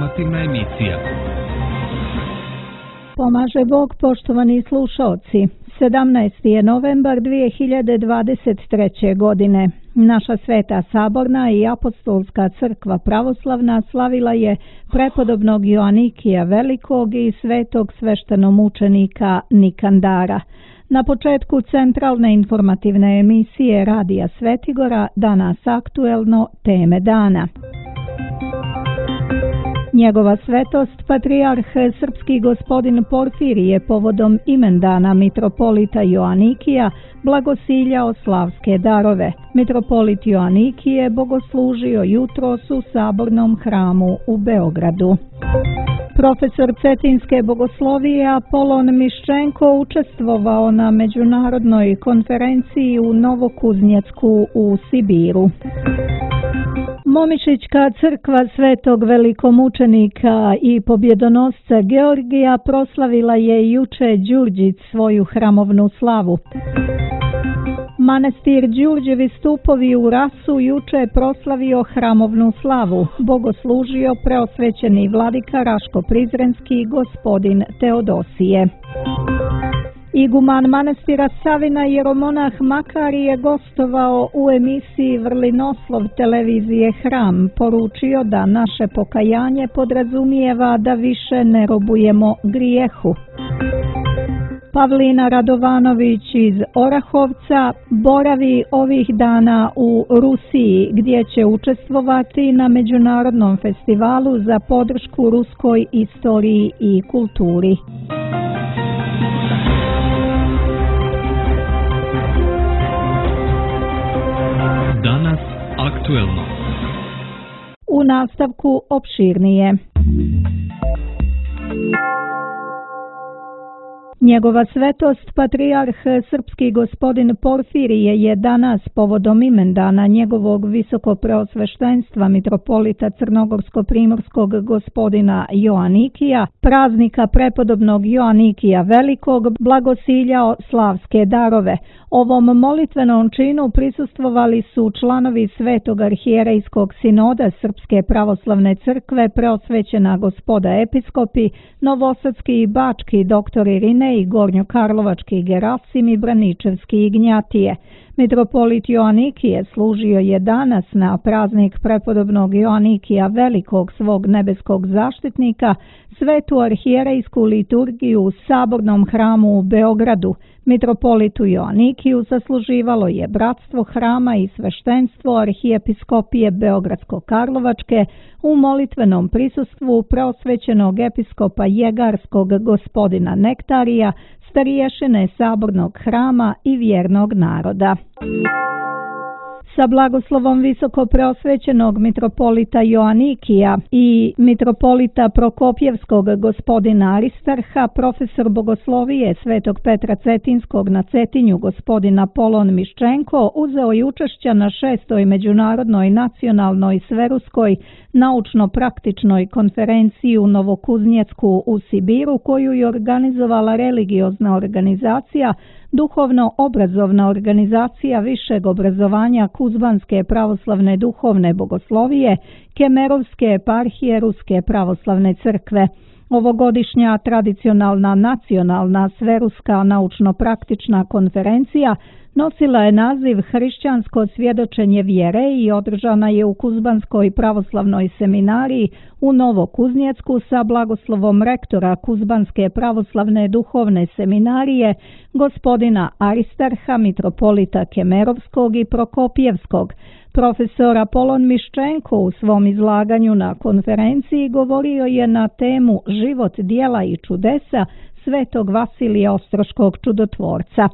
informativna emisija. Pomaže Bog, poštovani slušaoci. 17. je novembar 2023. godine. Naša Sveta Saborna i Apostolska crkva pravoslavna slavila je prepodobnog Joanikija Velikog i svetog sveštenomučenika Nikandara. Na početku centralne informativne emisije Radija Svetigora danas aktuelno teme dana. Njegova svetost, patrijarh srpski gospodin Porfirije povodom imendana mitropolita Joanikija blagosiljao slavske darove. Mitropolit Joanikije bogoslužio jutros u Sabornom hramu u Beogradu. Profesor cetinske bogoslovije Apolon Miščenko učestvovao na međunarodnoj konferenciji u Novokuznjecku u Sibiru. Momišićka crkva svetog velikomučenika i pobjedonosca Georgija proslavila je juče Đurđić svoju hramovnu slavu. Manastir Đurđevi stupovi u Rasu juče proslavio hramovnu slavu, bogoslužio preosvećeni vladika Raško-Prizrenski gospodin Teodosije. Iguman manastira Savina jeromonah Makari je gostovao u emisiji Vrlinoslov televizije Hram, poručio da naše pokajanje podrazumijeva da više ne robujemo grijehu. Pavlina Radovanović iz Orahovca boravi ovih dana u Rusiji, gdje će učestvovati na međunarodnom festivalu za podršku ruskoj istoriji i kulturi. Danas aktuelno. U nastavku opširnije. Njegova svetost, patrijarh srpski gospodin Porfirije je danas povodom imendana njegovog visokopreosveštenstva mitropolita Crnogorsko-primorskog gospodina Joanikija, praznika prepodobnog Joanikija Velikog, blagosiljao slavske darove. Ovom molitvenom činu prisustvovali su članovi Svetog arhijerejskog sinoda Srpske pravoslavne crkve, preosvećena gospoda episkopi, novosadski i bački doktor Irine i gornjokarlovački Gerasim i Braničevski Ignjatije. Mitropolit Joanikije služio je danas na praznik prepodobnog Joanikija Velikog svog nebeskog zaštitnika svetu arhijerejsku liturgiju u Sabornom hramu u Beogradu. Mitropolitu Joanikiju zasluživalo je bratstvo hrama i sveštenstvo arhijepiskopije Beogradsko-Karlovačke u molitvenom prisustvu preosvećenog episkopa Jegarskog gospodina Nektarija, stariješine Sabornog hrama i vjernog naroda. Sa blagoslovom visoko preosvećenog mitropolita Joanikija i mitropolita Prokopjevskog gospodina Aristarha, profesor bogoslovije Svetog Petra Cetinskog na Cetinju gospodina Apolon Miščenko uzeo je učešća na 6. međunarodnoj nacionalnoj sveruskoj naučno-praktičnoj konferenciji u Novokuznjecku u Sibiru, koju je organizovala religiozna organizacija, duhovno-obrazovna organizacija višeg obrazovanja Kuzbanske pravoslavne duhovne bogoslovije, Kemerovske eparhije Ruske pravoslavne crkve. Ovogodišnja tradicionalna nacionalna sveruska naučno-praktična konferencija nosila je naziv Hrišćansko svjedočenje vjere i održana je u Kuzbanskoj pravoslavnoj seminariji u Novokuznjecku sa blagoslovom rektora Kuzbanske pravoslavne duhovne seminarije gospodina Aristarha, mitropolita Kemerovskog i Prokopjevskog. Profesor Apolon Miščenko u svom izlaganju na konferenciji govorio je na temu Život, djela i čudesa svetog Vasilija Ostroškog čudotvorca.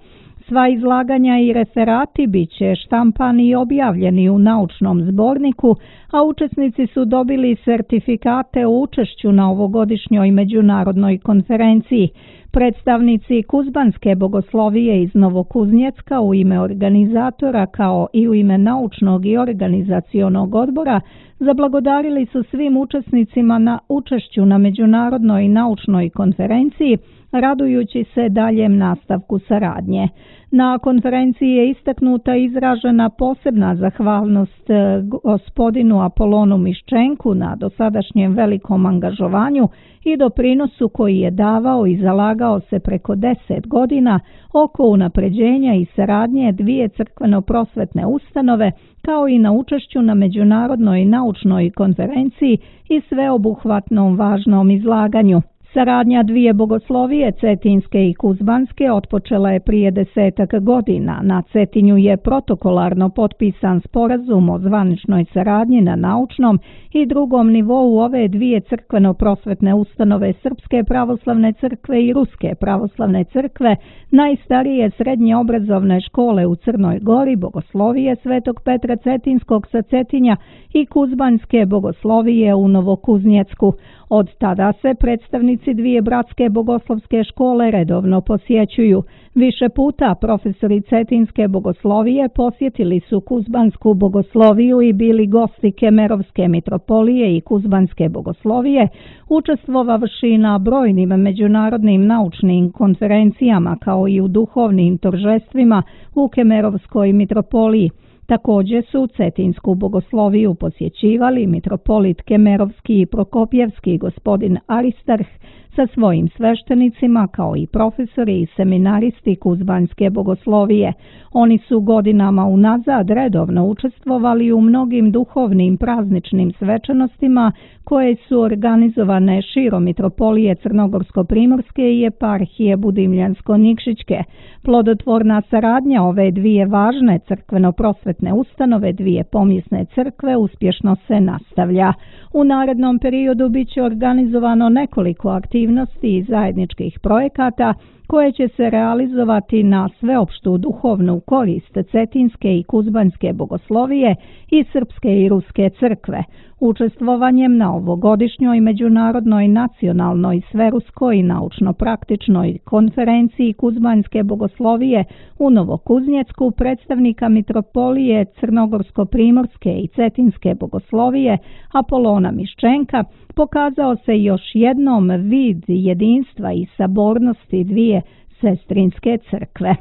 Sva izlaganja i referati bit će štampani i objavljeni u naučnom zborniku, a učesnici su dobili sertifikate o učešću na ovogodišnjoj međunarodnoj konferenciji. Predstavnici Kuzbanske bogoslovije iz Novokuznjecka u ime organizatora kao i u ime naučnog i organizacionog odbora zablagodarili su svim učesnicima na učešću na međunarodnoj naučnoj konferenciji, radujući se daljem nastavku saradnje. Na konferenciji je istaknuta i izražena posebna zahvalnost gospodinu Apolonu Miščenku na dosadašnjem velikom angažovanju i doprinosu koji je davao i zalagao se preko 10 godina oko unapređenja i saradnje dvije crkveno-prosvetne ustanove, kao i na učešću na međunarodnoj naučnoj konferenciji i sveobuhvatnom važnom izlaganju. Saradnja dvije bogoslovije, cetinske i kuzbanske, otpočela je prije 10 godina. Na Cetinju je protokolarno potpisan sporazum o zvaničnoj saradnji na naučnom i drugom nivou ove dvije crkveno-prosvetne ustanove Srpske pravoslavne crkve i Ruske pravoslavne crkve, najstarije srednje obrazovne škole u Crnoj Gori, bogoslovije Svetog Petra Cetinskog sa Cetinja i kuzbanske bogoslovije u Novokuznjecku. Od tada se predstavnici dvije bratske bogoslovske škole redovno posjećuju. Više puta profesori Cetinske bogoslovije posjetili su kuzbansku bogosloviju i bili gosti Kemerovske mitropolije i kuzbanske bogoslovije, učestvovavši na brojnim međunarodnim naučnim konferencijama kao i u duhovnim toržestvima u Kemerovskoj mitropoliji. Također su Cetinsku bogosloviju posjećivali mitropolit Kemerovski i Prokopjevski gospodin Aristarh sa svojim sveštenicima, kao i profesori i seminaristi kuzbanske bogoslovije. Oni su godinama unazad redovno učestvovali u mnogim duhovnim prazničnim svečanostima koje su organizovane širom mitropolije Crnogorsko-primorske i eparhije Budimljansko-Nikšićke. Plodotvorna saradnja ove dvije važne crkveno-prosvetne ustanove, dvije pomjesne crkve, uspješno se nastavlja. U narednom periodu biće organizovano nekoliko aktivnosti i zajedničkih projekata koje će se realizovati na sveopštu duhovnu korist Cetinske i kuzbanske bogoslovije i Srpske i Ruske crkve. Učestvovanjem na ovogodišnjoj međunarodnoj nacionalnoj sveruskoj naučno-praktičnoj konferenciji kuzbanske bogoslovije u Novokuznjecku predstavnika mitropolije Crnogorsko-primorske i Cetinske bogoslovije Apolona Miščenka pokazao se još jednom vid jedinstva i sabornosti dvije sestrinske crkve.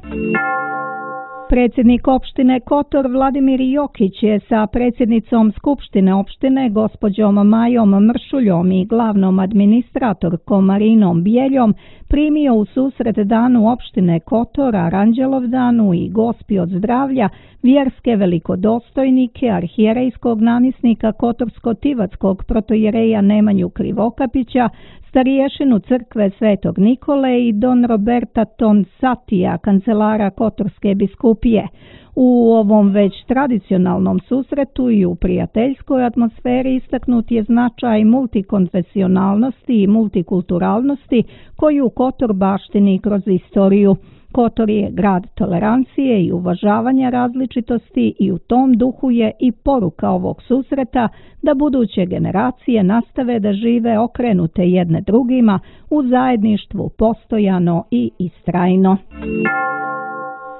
Predsjednik opštine Kotor Vladimir Jokić je sa predsjednicom Skupštine opštine gospođom Majom Mršuljom i glavnom administratorkom Marinom Bijeljom primio u susret danu opštine Kotor, Aranđelovdanu i Gospi od zdravlja vjerske velikodostojnike arhijerejskog namjesnika Kotorsko-Tivatskog protojereja Nemanju Krivokapića, stariješinu crkve Svetog Nikole i don Roberta Tonsatija, kancelara Kotorske biskupije. U ovom već tradicionalnom susretu i u prijateljskoj atmosferi istaknut je značaj multikonfesionalnosti i multikulturalnosti koju Kotor baštini kroz istoriju. Kotor je grad tolerancije i uvažavanja različitosti i u tom duhu je i poruka ovog susreta da buduće generacije nastave da žive okrenute jedne drugima u zajedništvu postojano i istrajno.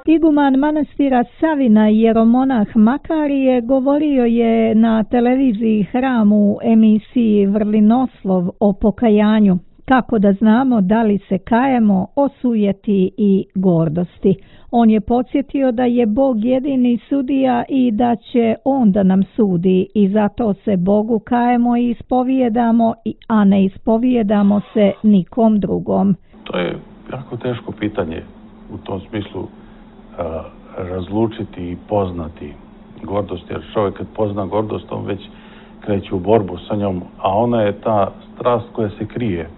Iguman manastira Savina jeromonah Makarije govorio je na televiziji Hram u emisiji Vrlinoslov o pokajanju. Kako da znamo da li se kajemo o sujeti i gordosti. On je podsjetio da je Bog jedini sudija i da će On da nam sudi i zato se Bogu kajemo i ispovijedamo, a ne ispovijedamo se nikom drugom. To je jako teško pitanje u tom smislu razlučiti i poznati gordost, jer čovjek kad pozna gordost on već kreće u borbu sa njom, a ona je ta strast koja se krije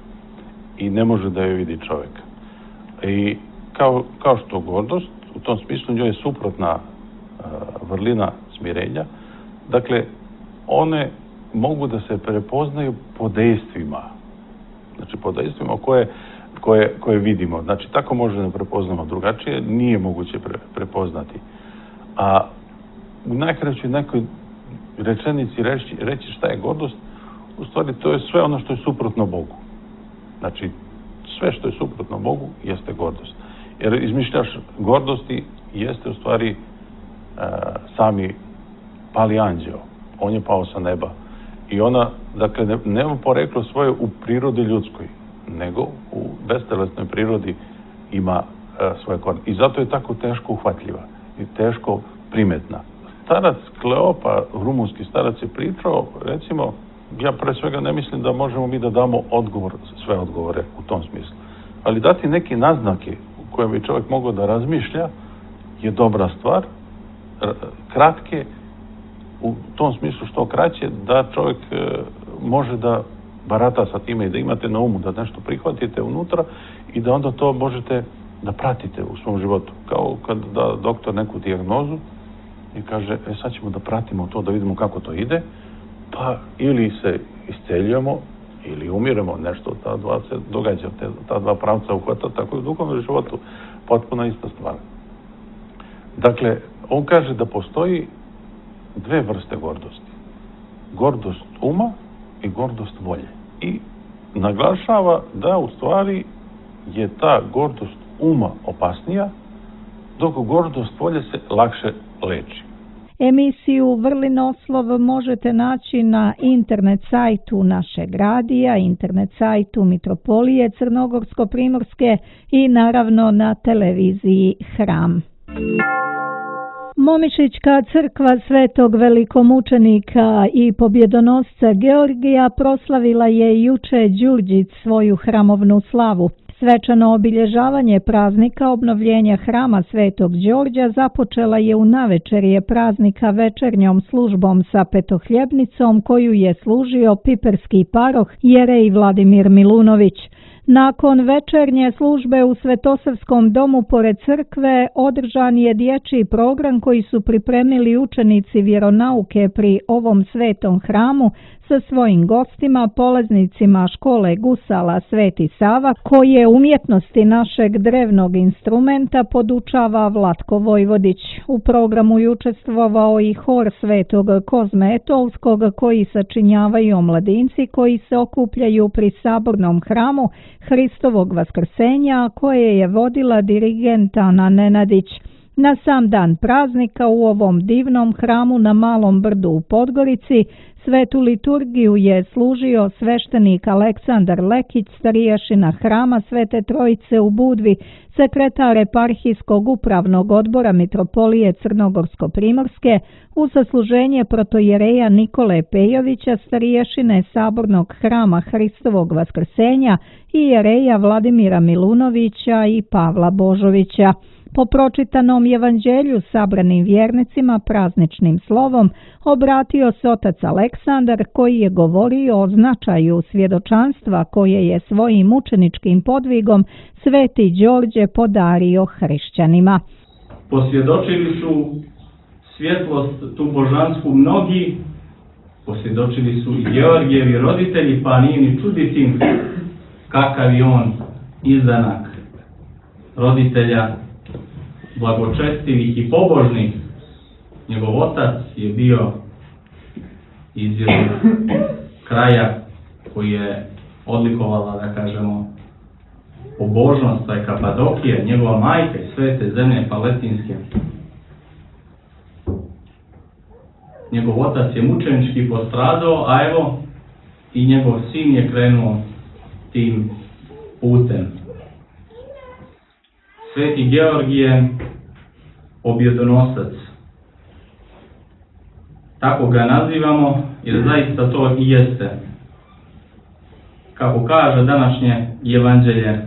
i ne može da je vidi čovjek. I kao što gordost, u tom smislu njoj je suprotna vrlina smirenja. Dakle, one mogu da se prepoznaju po dejstvima. Znači, po dejstvima koje vidimo. Znači, tako možemo da prepoznamo, drugačije nije moguće prepoznati. A u najkraćoj nekoj rečenici reći šta je gordost, u stvari to je sve ono što je suprotno Bogu. Znači, sve što je suprotno Bogu jeste gordost. Jer izmišljaš gordosti jeste u stvari sami pali anđeo. On je pao sa neba. I ona, dakle, nema poreklo svoje u prirodi ljudskoj, nego u bestelesnoj prirodi ima svoje korijene. I zato je tako teško uhvatljiva i teško primetna. Starac Kleopa, rumunski starac, je pričao, recimo, ja pre svega ne mislim da možemo mi da damo odgovor, sve odgovore u tom smislu, ali dati neki naznake u kojem bi čovjek mogao da razmišlja je dobra stvar, kratke, u tom smislu što kraće, da čovjek može da barata sa time i da imate na umu da nešto prihvatite unutra i da onda to možete da pratite u svom životu. Kao kad da doktor neku dijagnozu i kaže, sad ćemo da pratimo to, da vidimo kako to ide, pa ili se isceljujemo ili umiremo, nešto ta dva se događa, ta dva pravca uhvata, tako i u duhovnom životu potpuno ista stvar. Dakle, on kaže da postoji dve vrste gordosti. Gordost uma i gordost volje. I naglašava da u stvari je ta gordost uma opasnija, dok gordost volje se lakše leči. Emisiju Vrlin oslov možete naći na internet sajtu našeg radija, internet sajtu Mitropolije Crnogorsko-Primorske i naravno na televiziji Hram. Momišićka crkva Svetog velikomučenika i pobjedonosca Georgija proslavila je juče Đurđić svoju hramovnu slavu. Svečano obilježavanje praznika obnovljenja hrama Svetog Đorđa započela je u navečerje praznika večernjom službom sa petohljebnicom koju je služio piperski paroh jerej Vladimir Milunović. Nakon večernje službe u Svetosavskom domu pored crkve održan je dječji program koji su pripremili učenici vjeronauke pri ovom svetom hramu sa svojim gostima, polaznicima škole gusala Sveti Sava, koje umjetnosti našeg drevnog instrumenta podučava Vlatko Vojvodić. U programu je učestvovao i hor Svetog Kozme Etolskog koji sačinjavaju omladinci koji se okupljaju pri sabornom hramu Hristovog vaskrsenja koje je vodila dirigent Ana Nenadić. Na sam dan praznika u ovom divnom hramu na Malom Brdu u Podgorici svetu liturgiju je služio sveštenik Aleksandar Lekić, stariješina hrama Svete Trojice u Budvi, sekretar eparhijskog upravnog odbora Mitropolije Crnogorsko-Primorske, u sasluženje protojereja Nikole Pejovića, stariješine sabornog hrama Hristovog vaskrsenja i jereja Vladimira Milunovića i Pavla Božovića. Po pročitanom evanđelju sabranim vjernicima prazničnim slovom obratio se otac Aleksandar koji je govorio o značaju svjedočanstva koje je svojim učeničkim podvigom Sveti Đorđe podario hrišćanima. Posvjedočili su svjetlost tu božansku mnogi, posvjedočili su i Georgijevi roditelji, pa nije ni čuditi kakav je on izdanak roditelja blagočestivih i pobožnih. Njegov otac je bio iz jednog kraja koji je odlikovala, da kažemo, pobožnost, taj Kapadokije, njegova majka iz svete zemlje Paletinske. Njegov otac je mučenički postradao, a evo i njegov sin je krenuo tim putem. Sveti Georgije, pobjedonosac. Tako ga nazivamo, jer zaista to i jeste. Kako kaže današnje evanđelje,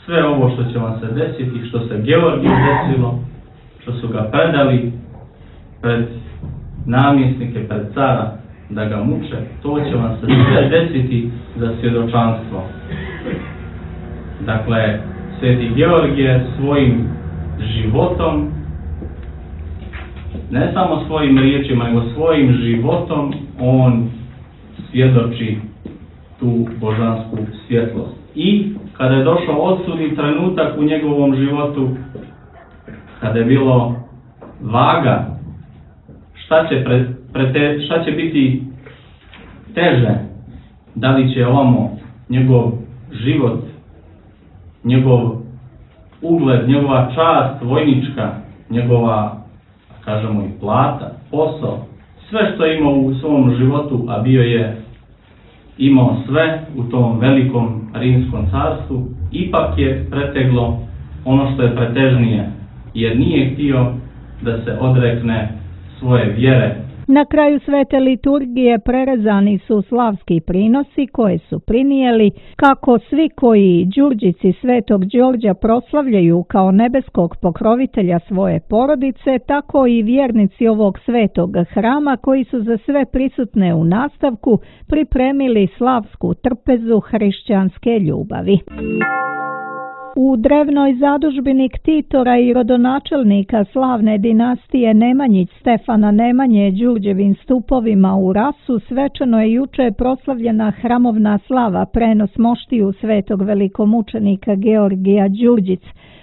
sve ovo što će vam se desiti, što se Georgiju desilo, što su ga predali pred namjesnike, pred cara, da ga muče, to će vam se sve desiti za svjedočanstvo. Dakle, Sveti Georgije svojim životom, ne samo svojim riječima, nego svojim životom, on svjedoči tu božansku svjetlost. I kada je došao odsudni trenutak u njegovom životu, kada je bilo vaga, šta će biti teže, da li će ovamo njegov život, njegov ugled, njegova čast vojnička, njegova, kažemo, i plata, posao, sve što je imao u svom životu, a bio je imao sve u tom velikom rimskom carstvu, ipak je preteglo ono što je pretežnije, jer nije htio da se odrekne svoje vjere. Na kraju svete liturgije prerezani su slavski prinosi koje su prinijeli kako svi koji Đurđici svetog Đorđa proslavljaju kao nebeskog pokrovitelja svoje porodice, tako i vjernici ovog svetog hrama koji su za sve prisutne u nastavku pripremili slavsku trpezu hrišćanske ljubavi. U drevnoj zadužbini ktitora i rodonačelnika slavne dinastije Nemanjić Stefana Nemanje Đurđevim stupovima u Rasu svečano je juče proslavljena hramovna slava prenos moštiju svetog velikomučenika Georgija Đurđic.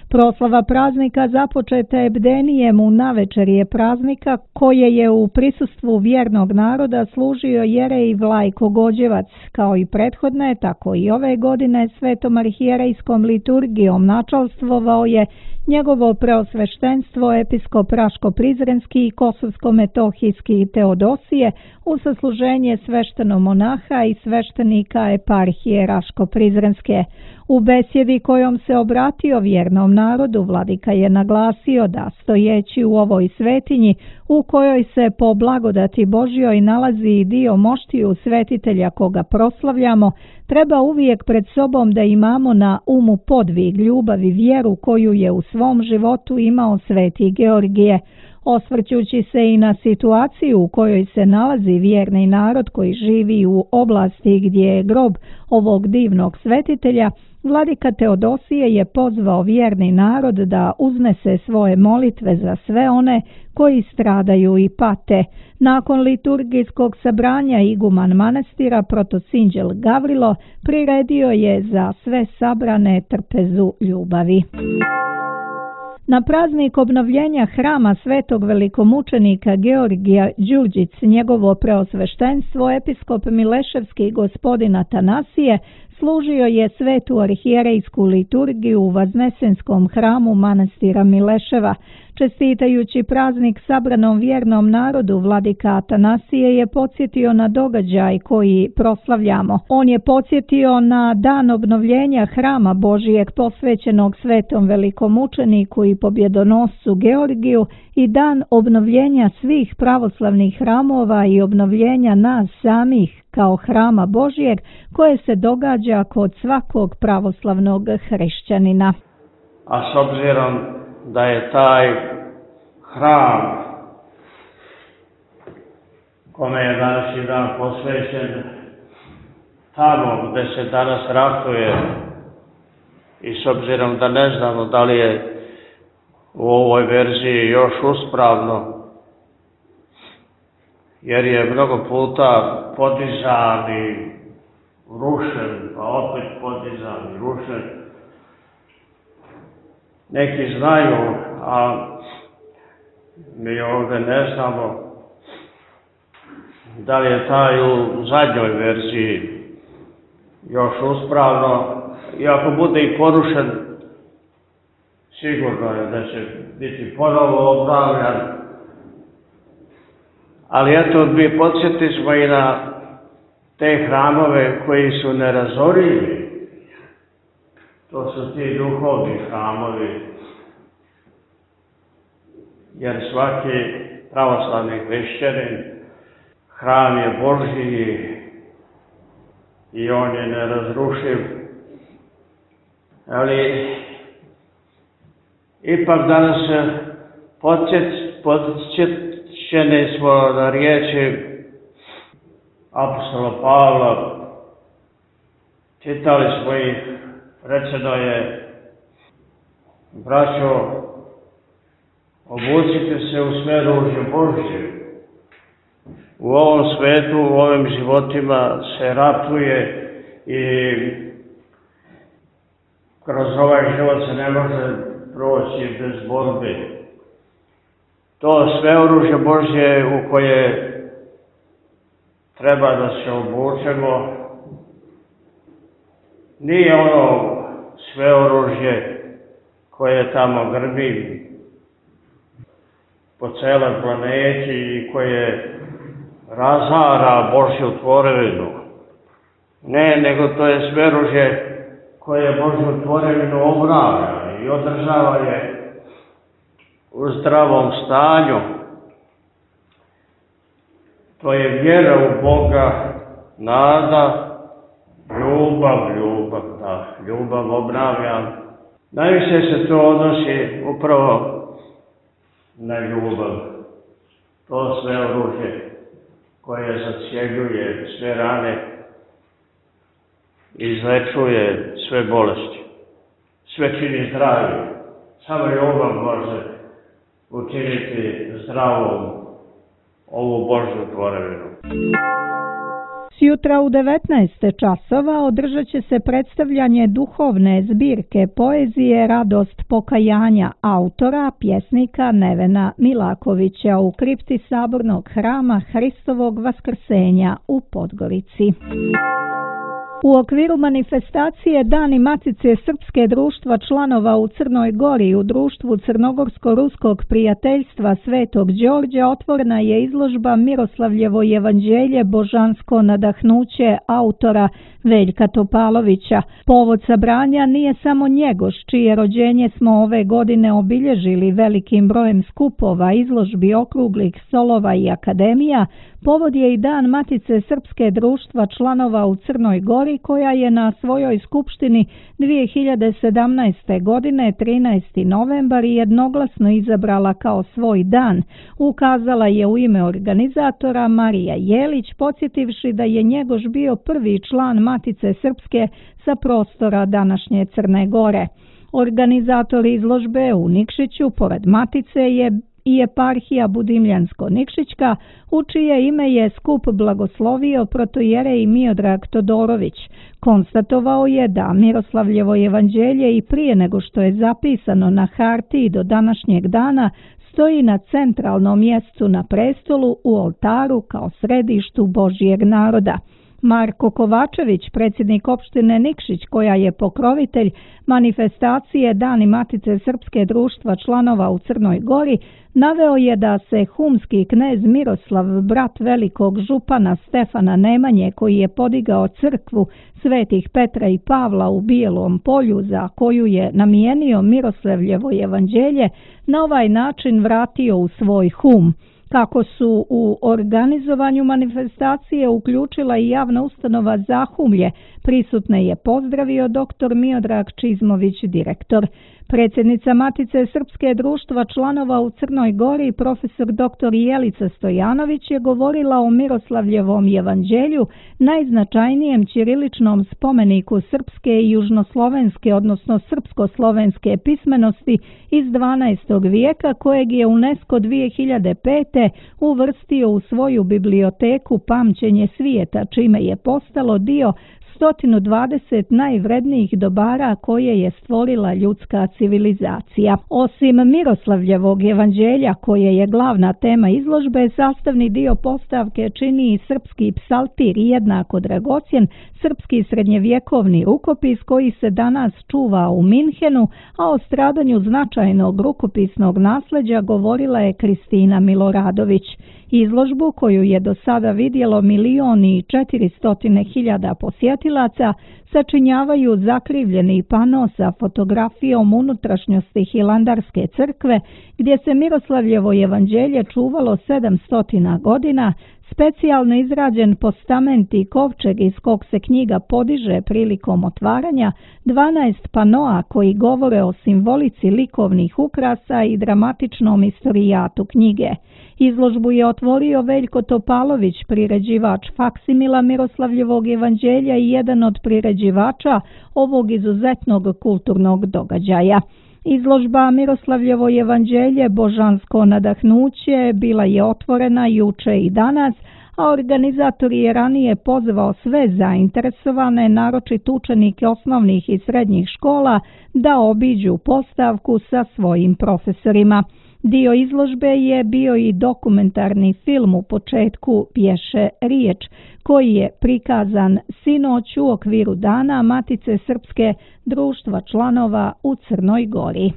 Proslava praznika započeta je bdenijem u navečerje praznika koje je u prisustvu vjernog naroda služio jerej Vlajko Gođevac. Kao i prethodne, tako i ove godine svetom arhijerejskom liturgijom načalstvovao je njegovo preosveštenstvo episkop Raško-Prizrenski i Kosovsko-Metohijski Teodosije u sasluženje sveštenomonaha i sveštenika eparhije Raško-Prizrenske. U besjedi kojom se obratio vjernom narodu, vladika je naglasio da stojeći u ovoj svetinji u kojoj se po blagodati Božjoj nalazi i dio moštiju svetitelja koga proslavljamo, treba uvijek pred sobom da imamo na umu podvig, ljubav i vjeru koju je u svom životu imao sveti Georgije. Osvrćući se i na situaciju u kojoj se nalazi vjerni narod koji živi u oblasti gdje je grob ovog divnog svetitelja, vladika Teodosije je pozvao vjerni narod da uznese svoje molitve za sve one koji stradaju i pate. Nakon liturgijskog sabranja iguman manastira protosinđel Gavrilo priredio je za sve sabrane trpezu ljubavi. Na praznik obnovljenja hrama svetog velikomučenika Georgija Đurđic, njegovo preosveštenstvo episkop Mileševski gospodin Atanasije služio je svetu arhijerejsku liturgiju u Vaznesenskom hramu manastira Mileševa. Čestitajući praznik sabranom vjernom narodu, vladika Atanasije je podsjetio na događaj koji proslavljamo. On je podsjetio na dan obnovljenja hrama Božijeg posvećenog svetom velikomučeniku i pobjedonoscu Georgiju i dan obnovljenja svih pravoslavnih hramova i obnovljenja nas samih kao hrama Božijeg koje se događa kod svakog pravoslavnog hrišćanina. A s obzirom da je taj hram kome je današnji dan posvećen tamo gde se danas ratuje i s obzirom da ne znamo da li je u ovoj verziji još uspravno, jer je mnogo puta podizan i rušen, pa opet podizan i rušen. Neki znaju, a mi ovdje ne znamo da li je taj u zadnjoj verziji još uspravno, i ako bude i porušen, sigurno je da će biti ponovo obnavljan. Ali eto, mi podsjetismo i na te hramove koji su nerazorivi. To su ti duhovni hramovi, jer svaki pravoslavni hrišćanin hram je Božji i on je nerazrušiv. Ali ipak danas podsjećeni smo na riječi apostola Pavla, čitali smo ih, rečeno je: braćo, obucite se u sve ružje Božje. U ovom svetu, u ovim životima se ratuje i kroz ovaj život se ne može proći bez borbe. To sve oružje Božje u koje treba da se obučemo nije ono sve oružje koje tamo grbi po celoj planeti i koje razara Božju tvorevinu. Ne, nego to je sve oružje koje Božju tvorevinu obnavlja i održava je u zdravom stanju. To je vjera u Boga, nada, ljubav obnavlja. Najviše se to odnosi upravo na ljubav. To sve oružje koje zacjeljuje sve rane, izlečuje sve bolesti, sve čini zdravim. Samo ljubav može učiniti zdravom ovu Božju tvorevinu. Sjutra u 19 časova održat će se predstavljanje duhovne zbirke poezije Radost pokajanja autora, pjesnika Nevena Milakovića u kripti Sabornog hrama Hristovog vaskrsenja u Podgorici. U okviru manifestacije Dani Matice Srpske društva članova u Crnoj Gori u društvu Crnogorsko-ruskog prijateljstva Svetog Đorđa otvorena je izložba Miroslavljevo evanđelje božansko nadahnuće autora Veljka Topalovića. Povod sabranja nije samo Njegoš, čije rođenje smo ove godine obilježili velikim brojem skupova, izložbi, okruglih stolova i akademija. Povod je i Dan Matice Srpske društva članova u Crnoj Gori, koja je na svojoj skupštini 2017. godine 13. novembar jednoglasno izabrala kao svoj dan. Ukazala je u ime organizatora Marija Jelić, podsjetivši da je Njegoš bio prvi član Matice Srpske sa prostora današnje Crne Gore. Organizatori izložbe u Nikšiću, pored Matice, je i eparhija Budimljansko-Nikšićka, u čije ime je skup blagoslovio protojerej Miodrag Todorović. Konstatovao je da Miroslavljevo evanđelje i prije nego što je zapisano na hartiji do današnjeg dana stoji na centralnom mjestu na prestolu u oltaru kao središtu Božjeg naroda. Marko Kovačević, predsjednik opštine Nikšić, koja je pokrovitelj manifestacije Dani Matice Srpske društva članova u Crnoj Gori, naveo je da se humski knez Miroslav, brat velikog župana Stefana Nemanje, koji je podigao crkvu svetih Petra i Pavla u Bijelom Polju, za koju je namijenio Miroslavljevo evanđelje, na ovaj način vratio u svoj hum. Kako su u organizovanju manifestacije uključila i javna ustanova Zahumlje, prisutne je pozdravio dr. Miodrag Čizmović, direktor. Predsjednica Matice Srpske društva članova u Crnoj Gori, profesor dr. Jelica Stojanović, je govorila o Miroslavljevom evanđelju, najznačajnijem ćiriličnom spomeniku srpske i južnoslovenske, odnosno srpsko-slovenske pismenosti iz 12. vijeka, kojeg je UNESCO 2005. uvrstio u svoju biblioteku Pamćenje svijeta, čime je postalo dio 120 najvrednijih dobara koje je stvorila ljudska civilizacija. Osim Miroslavljevog evanđelja, koje je glavna tema izložbe, sastavni dio postavke čini i srpski psaltir, jednako dragocjen srpski srednjevjekovni rukopis koji se danas čuva u Minhenu, a o stradanju značajnog rukopisnog nasljeđa govorila je Kristina Miloradović. Izložbu, koju je do sada vidjelo 1.400.000 posjetilaca, sačinjavaju zakrivljeni pano sa fotografijom unutrašnjosti Hilandarske crkve, gdje se Miroslavljevo evanđelje čuvalo 700 godina, specijalno izrađen postament i kovčeg iz kog se knjiga podiže prilikom otvaranja, 12 panoa koji govore o simbolici likovnih ukrasa i dramatičnom istorijatu knjige. Izložbu je otvorio Veljko Topalović, priređivač faksimila Miroslavljevog evanđelja i jedan od priređivača ovog izuzetnog kulturnog događaja. Izložba Miroslavljevo evanđelje božansko nadahnuće bila je otvorena juče i danas, a organizator je ranije pozvao sve zainteresovane, naročito učenike osnovnih i srednjih škola, da obiđu postavku sa svojim profesorima. Dio izložbe je bio i dokumentarni film U početku pješe riječ, koji je prikazan sinoć u okviru Dana Matice Srpske društva članova u Crnoj Gori.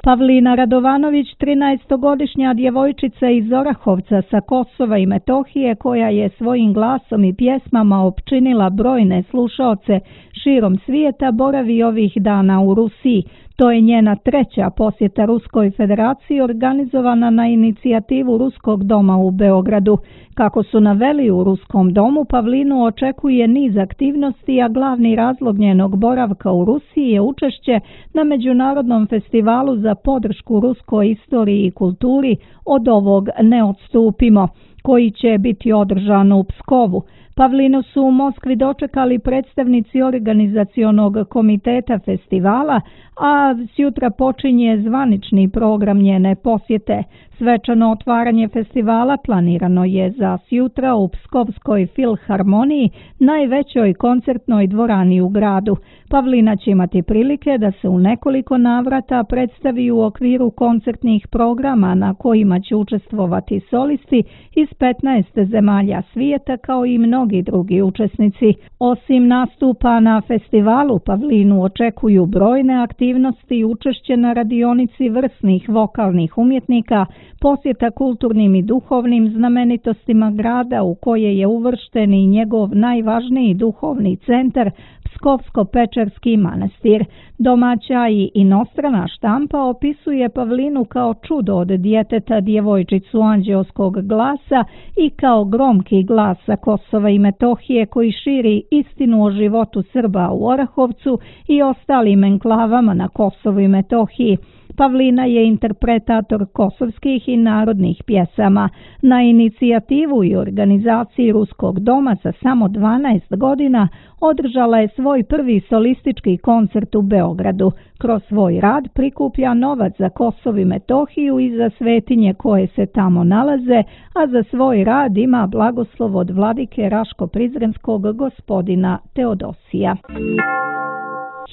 Pavlina Radovanović, 13-godišnja djevojčica iz Orahovca sa Kosova i Metohije, koja je svojim glasom i pjesmama opčinila brojne slušaoce širom svijeta, boravi ovih dana u Rusiji. To je njena treća posjeta Ruskoj federaciji, organizovana na inicijativu Ruskog doma u Beogradu. Kako su naveli u Ruskom domu, Pavlinu očekuje niz aktivnosti, a glavni razlog njenog boravka u Rusiji je učešće na Međunarodnom festivalu za podršku ruskoj istoriji i kulturi Od ovog ne odstupimo, koji će biti održan u Pskovu. Pavlinu su u Moskvi dočekali predstavnici organizacionog komiteta festivala, a sjutra počinje zvanični program njene posjete. Svečano otvaranje festivala planirano je za sjutra u Pskovskoj filharmoniji, najvećoj koncertnoj dvorani u gradu. Pavlina će imati prilike da se u nekoliko navrata predstavi u okviru koncertnih programa na kojima će učestvovati solisti iz 15 zemalja svijeta, kao i mnogi drugi učesnici. Osim nastupa na festivalu, Pavlinu očekuju brojne aktivnosti i učešće na radionici vrsnih vokalnih umjetnika, posjeta kulturnim i duhovnim znamenitostima grada u koje je uvršten i njegov najvažniji duhovni centar, Pskovsko-Pečerski manastir. Domaća i inostrana štampa opisuje Pavlinu kao čudo od djeteta, djevojčicu anđeoskog glasa i kao gromki glas sa Kosova i Metohije koji širi istinu o životu Srba u Orahovcu i ostalim enklavama na Kosovu i Metohiji. Pavlina je interpretator kosovskih i narodnih pjesama. Na inicijativu i organizaciji Ruskog doma sa samo 12 godina održala je svoj prvi solistički koncert u Beogradu. Kroz svoj rad prikuplja novac za Kosovo i Metohiju i za svetinje koje se tamo nalaze, a za svoj rad ima blagoslov od vladike Raško-Prizrenskog gospodina Teodosija.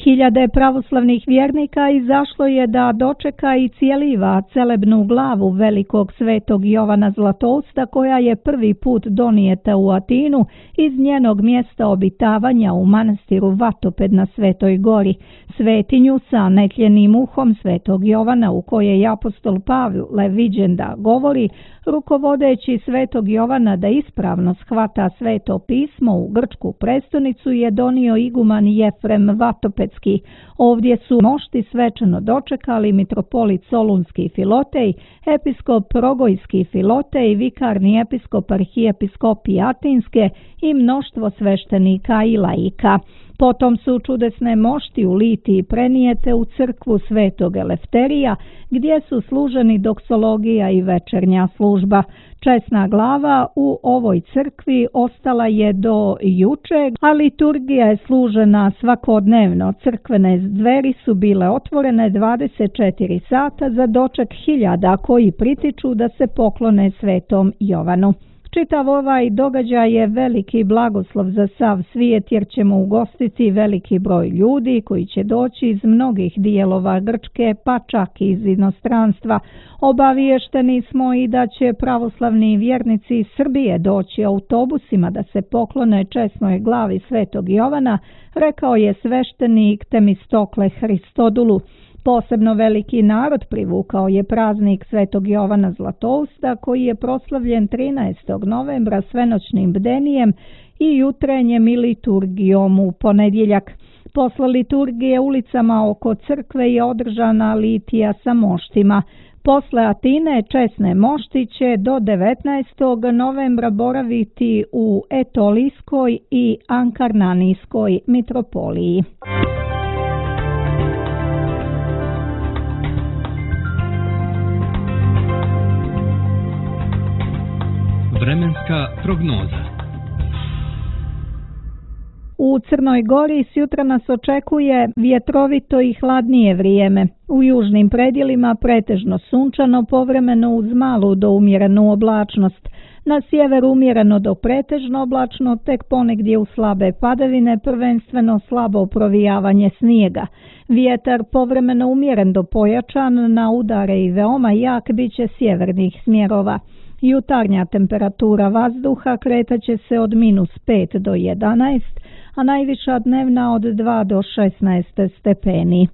Hiljade pravoslavnih vjernika izašlo je da dočeka i cijeliva celebnu glavu velikog svetog Jovana Zlatousta, koja je prvi put donijeta u Atinu iz njenog mjesta obitavanja u manastiru Vatoped na Svetoj gori. Svetinju sa netljenim uhom svetog Jovana, u kojoj apostol Pavle viđen da govori, rukovodeći svetog Jovana da ispravno shvata sveto pismo u grčku prestonicu, je donio iguman Jefrem Vatopedski. Ovdje su mošti svečano dočekali mitropolit Solunski Filotej, episkop Rogojski Filotej, vikarni episkop arhijepiskopije Atinske i mnoštvo sveštenika i laika. Potom su čudesne mošti u Litiji prenijete u crkvu Svetog Elefterija, gdje su služeni doksologija i večernja služba. Česna glava u ovoj crkvi ostala je do juče, a liturgija je služena svakodnevno. Crkvene dveri su bile otvorene 24 sata za doček hiljada koji pritiču da se poklone svetom Jovanu. Čitav ovaj događaj je veliki blagoslov za sav svijet, jer ćemo ugostiti veliki broj ljudi koji će doći iz mnogih dijelova Grčke, pa čak i iz inostranstva. Obaviješteni smo i da će pravoslavni vjernici iz Srbije doći autobusima da se poklone česnoj glavi svetog Jovana, rekao je sveštenik Temistokle Hristodulu. Posebno veliki narod privukao je praznik svetog Jovana Zlatousta, koji je proslavljen 13. novembra svenoćnim bdenijem i jutrenjem i liturgijom u ponedjeljak. Posle liturgije ulicama oko crkve je održana litija sa moštima. Posle Atine česne mošti će do 19. novembra boraviti u Etolijskoj i Ankarnanijskoj mitropoliji. Vremenska prognoza. U Crnoj Gori sjutra nas očekuje vjetrovito i hladnije vrijeme. U južnim predjelima pretežno sunčano, povremeno uz malu do umjerenu oblačnost. Na sjeveru umjereno do pretežno oblačno, tek ponegdje u slabe padavine, prvenstveno slabo provijavanje snijega. Vjetar povremeno umjeren do pojačan, na udare i veoma jak bit će sjevernih smjerova. Jutarnja temperatura vazduha kretaće se od -5 do 11, a najviša dnevna od 2 do 16 stepeni.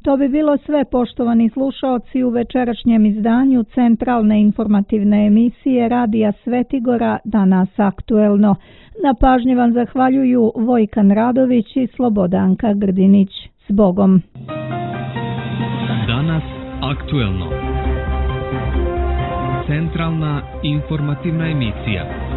To bi bilo sve, poštovani slušaoci, u večerašnjem izdanju centralne informativne emisije Radija Svetigora Danas aktuelno. Na pažnji vam zahvaljuju Vojkan Radović i Slobodanka Grdinić. S Bogom! Danas aktuelno. Centralna informativna emisija.